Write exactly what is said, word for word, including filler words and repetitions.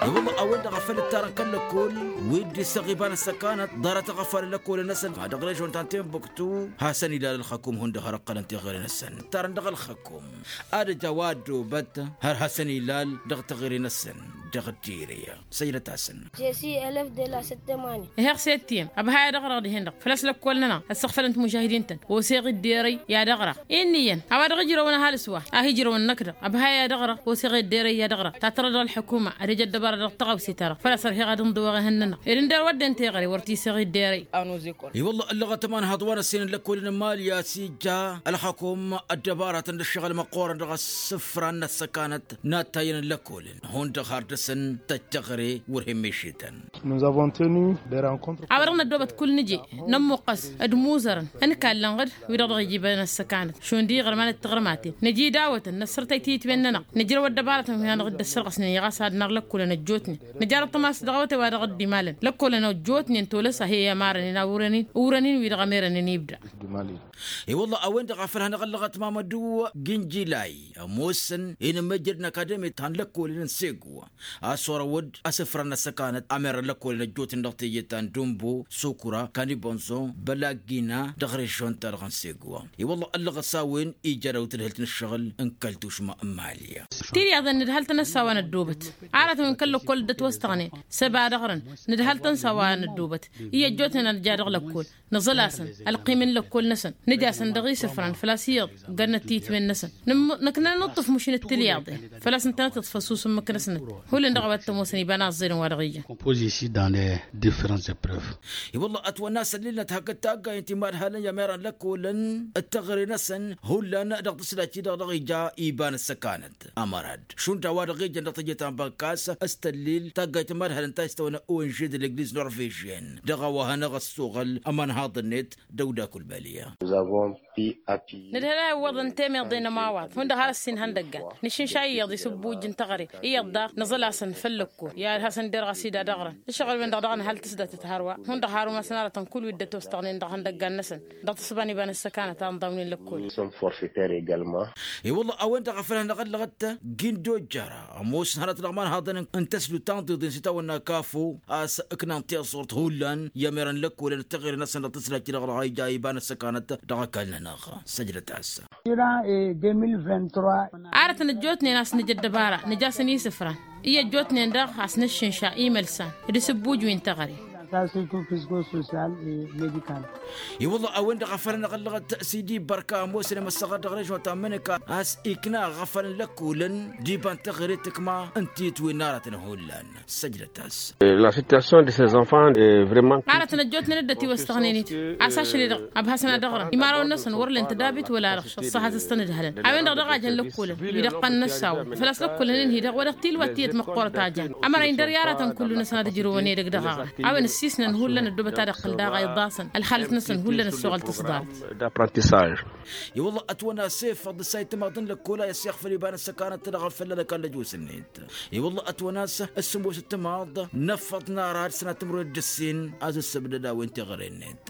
I-wălla a-wen-dăɣ a făl ǝttarăn kăl-lăkkol wi dd-isăɣ iba n-ăssăkanăt ḍarăt iɣăfalăn lăkkolăn-năsăn dăɣ-režon ta n-tenbuktu. Hasăn-ilal ălxăkum hundăɣ har ǝqqălăn teɣăre-năsăn ǝttarăn dăɣ-ălxăkum ad-ăj a-wa ăddoobăt har hasăn-ilal dăɣ-teɣăre-năsăn dăɣ-ăddire. Săjdăt-asăn. Jesi elef de la săttămani. Iheɣ s-e t-iyyăm ăbhay ad-ăɣrăɣ dihen-dăɣ făl-a-s lăkkol-nănăɣ ăssăɣfălăn timujahidin-tăn. Oseɣ dd-erăy i-ad-ăɣrăɣ. Inn'-iyyăn a-wa dăɣ-ijrăwăn ăhalǝs wa a hi-ijrăwăn năkk-dăɣ ăbhay ad-ăɣrăɣ. Oseɣ dd-erăy i-ad-ăɣrăɣ ta tărra dăɣ-ălḥukuma ad-ăj ăddăbara dăɣ-tăɣawse-ta-dăɣ făl-a-s ărheɣ ad-ǝnḍǝwăɣ ehăn-nănăɣ ed ǝndăr wădden teɣăre wăr t-iseɣ i dd-erăy. I-wălla ăllăɣăt ămanhaḍ wa n-ăssinăn lăkkolăn n-imali a-s ija ălxăkum ăddăbaratăn d-ǝššăɣǝl măqqoorăn dăɣ-asǝfran n-ăssăkanăt n-ad-tayyăn n-lăkkolăn hundăɣ har dăr-săn tăj teɣăre wăr hin-mešităn. A-wa-dăɣ năddoobăt kull nǝje nămmuqqăs d-imuzărăn ǝnkallăn ɣǝd wi-dăɣ dăɣ-ija iba n-ăssăkanăt šund iɣărman d-tiɣrǝmaten nǝja idawătăn năssărtăy tiyǝtwen-nănăɣ nǝjrăw ăddăbaratăn wi hanăɣ-dd-ăssărɣăsnen i-ɣas ad-năr lăkkolăn ăjjootnen. Nǝjarăt tămas dăɣ-awătay wa dăɣ-dd-imalăn lăkkolăn ăjjootnen tolăs a hi-ămarănen a urăn-in urăn-in wi-dăɣ ămerănen ibda. I-wălla a-wen-dăɣ a făl hanăɣ-ăllăɣăt mamădu ginjilay ămoosăn inǝmmăjjăd n-akademi ta n-lăkkolăn n-segu a-s orăwăd asǝfra n-ăssăkanăt ămerăn lăkkolăn ăjjootnen dăɣ-teje ta n-dumbu sukura kanibănzo bălagina dăɣ-režon-ta-dăɣ n-segu. I-wălla ăllăɣăt s-a-wen ija dăɣ-tǝdhǝlt n-ǝššăɣǝl n-kăl-tušma n-mali. Tilyaḍen nǝdhăl-tăn a-s a-wa năddoobăt aratăn wi n-kăl-lăkkol dd-ătwăstăɣnen săba dăɣ-răn. Nǝdhăl-tăn a-s a-wa năddoobăt iyyă ăjjootnen ad-nǝja dăɣ-lăkkol nǝẓǝl-asăn ălqim n-lăkkol-năsăn nǝj'-asăn dăɣ-isǝfran făl-a-s iyyăḍ ǝggănnăt tiyǝtwen-năsăn. Nǝknăn nǝṭṭǝf mušǝnăt tilyaḍen făl-a-s ǝntănăt iḍfăs usǝmmǝk-năsnăt hullan dăɣ-a-wa t-ămoosăn iba n-aẓẓelăn wa dăɣ-ijan. Compoze ici dans les différentes épreuves. I-wălla ătwănna s-ăllilnăt hakd taggayăn timadhalăn i-ămerăn lăkkolăn d-teɣăre-năsăn hullan dăɣ-tǝslat-i-dăɣ dăɣ-ija iba n-ăssăkanăt ămărad šund a-wa dăɣ-ijăn dăɣ-teje ta n-băkkas s-tăllil taggayt n-imadhalăn ta s-tăwănna ong de legliz norvežyăn dăɣ-a-wa hanăɣ-ăssoɣăl ămanhaḍ-net. Dăw-dd-akulbălya. Nǝdhăl a iwwăḍăn temeḍe n-ămawaḍ hundăɣ har ăssin ihăndăggan nǝššǝnša iyyăḍ isǝbbuj n-teɣăre iyyăḍ daɣ nǝẓǝl-asăn făll-lăkko i-ad-hasăn-derɣ a-s ida dăɣ-răn. Ǝššăɣǝl-wen-dăɣ daɣ nǝhăl tǝsdatăt hărwa hundăɣ har umasăn arătăn kull wi dd-ătwăstăɣnen dăɣ-ihăndăggan-năsăn dăɣ-tǝssǝba n-iba n-ăssăkanăt a ǝnḍawnen lăkkol. I-wălla a-wen-dăɣ a făl hanăɣ-ăllăɣăt gindojjăra ămoosăn hărăt dăɣ-imanhaḍăn n-tăslut ta n-tiḍen s-itawănna kafo a-s ǝknan tiẓurt hullan i-ămerăn lăkkolăn d-teɣăre-năsăn dăɣ-tǝslat-i-dăɣ dăɣ-a ija iba n-ăssăkanăt. Dăɣ-ăkall-nănăɣ săjdăt-as. Arătăn ăjjootnen a-s nǝja ăddăbara nǝj'-asăn isǝfran i-ăjjootnen daɣ a-s nǝššǝnša imălsan d-isǝbbuj wi n-teɣăre. I-wălla a-wen-dăɣ a făl hanăɣ-ăllăɣăt sidi bărka ămoosăn i-măssăɣăr dăɣ-režon ta n-mănăka a-s ikna aɣăfăl n-lăkkolăn d-iba n-teɣăre tǝkma ǝnta itwǝnnarătăn hullan. Săjdăt-as. La situation de ces enfants est vraiment. Arătăn ăjjootnen dd-ătiwăstăɣnen-it a-s ašăl-i-dăɣ ăbhasăn ad-ăɣrăn imărawăn-năsăn wăr len tădabit wăla arăɣš ăṣṣăhat s-tăn-ǝdhălăn. A-wen-dăɣ daɣ a jăn lăkkolăn wi dăɣ-tăn-năssaw făl-a-s lăkkolăn-in-hi-dăɣ wa dăɣ-tilwat tiyyăt măqqoorăt a jan. Ămăra-in dăr-i aratăn kullu-năsăn ad-ǝjrǝwăn edăgg dăɣ-aɣrăt a-wen ǝssisnăn hullan ăddoobăt ad-iqqǝl daɣ a iḍasăn ălxalăt-năsăn hullan ăssoɣăl tǝsḍarăt. I-wălla ătwănna s-efăḍ s-a itmaḍ n-lăkkola i-ăssiɣfăl iba n-ăssăkanăt dăɣ-afălla n-ăkall ăjosăn-net. I-wălla ătwănna s-ăssǝmos ǝttǝmaḍ n-efăḍ n-ara ad-sănatǝmrăwed d-ǝssin a-s ǝssǝbdăd a-wen teɣăre-net.